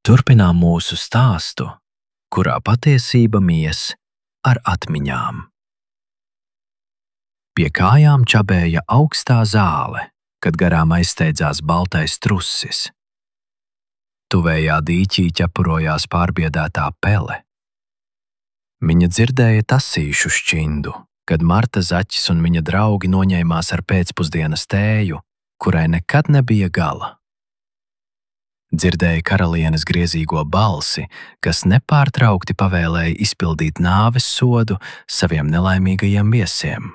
Turpinām mūsu stāstu, kurā patiesība mies ar atmiņām. Pie kājām čabēja augstā zāle, kad garām aizsteidzās baltais trusis. Tuvējā dīķī ķepurojās pārbiedētā pele. Viņa dzirdēja tasīšu šķindu, kad Marta Zaķis un viņa draugi noņēmās ar pēcpusdienas tēju, kurai nekad nebija gala. Dzirdēja karalienes griezīgo balsi, kas nepārtraukti pavēlēja izpildīt nāves sodu saviem nelaimīgajiem viesiem.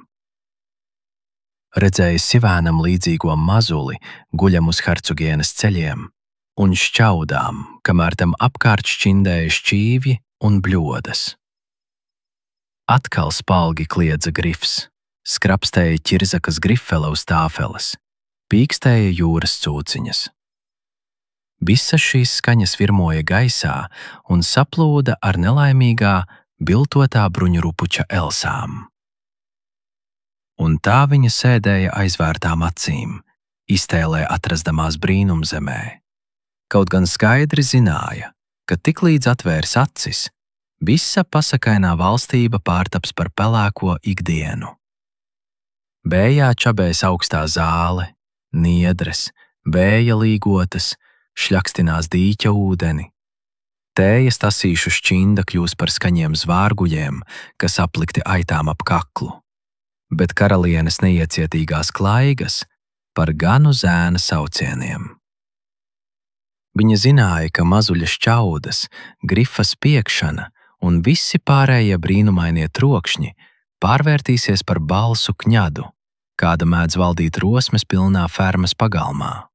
Redzēja sivēnam līdzīgo mazuli guļam uz hercogienes ceļiem un šķaudām, kamēr tam apkārt šķindēja šķīvji un bļodas. Atkal spalgi kliedza grifs, skrapstēja ķirzakas grifele uz tāfeles, pīkstēja jūras cūciņas. Visas šīs skaņas virmoja gaisā un saplūda ar nelaimīgā, biltotā bruņurupuča elsām. Un tā viņa sēdēja aizvērtām acīm, iztēlē atrasdamās brīnumzemē. Kaut gan skaidri zināja, ka tiklīdz atvērs acis, visa pasakainā valstība pārtaps par pelēko ikdienu. Bējā čabēs augstā zāle, niedres, vēja līgotas, šļakstinās dīķa ūdeni. Tējas tasīšu šķinda kļūs par skaņiem zvārguļiem, kas aplikti aitām ap kaklu, bet karalienes neiecietīgās klaigas par ganu zēna saucieniem. Viņa zināja, ka mazuļa šķaudas, grifa spiekšana un visi pārējie brīnumainie trokšņi pārvērtīsies par balsu kņadu, kāda mēdz valdīt rosmes pilnā fermas pagalmā.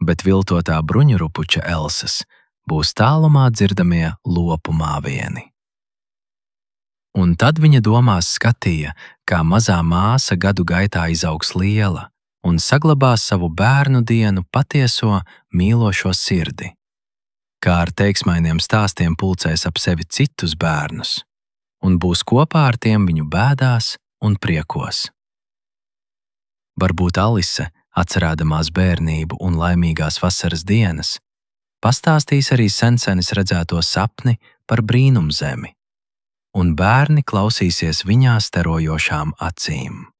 Bet viltotā bruņurupuča elsas būs tālumā dzirdamie lopu māvieni. Un tad viņa domās skatīja, kā mazā māsa gadu gaitā izaugs liela un saglabās savu bērnu dienu patieso mīlošo sirdi, kā ar teiksmainiem stāstiem pulcēs ap sevi citus bērnus un būs kopā ar tiem viņu bēdās un priekos. Varbūt Alise, atcerēdamās bērnību un laimīgās vasaras dienas, pastāstīs arī sensenis redzēto sapni par brīnumzemi, un bērni klausīsies viņā starojošām acīm.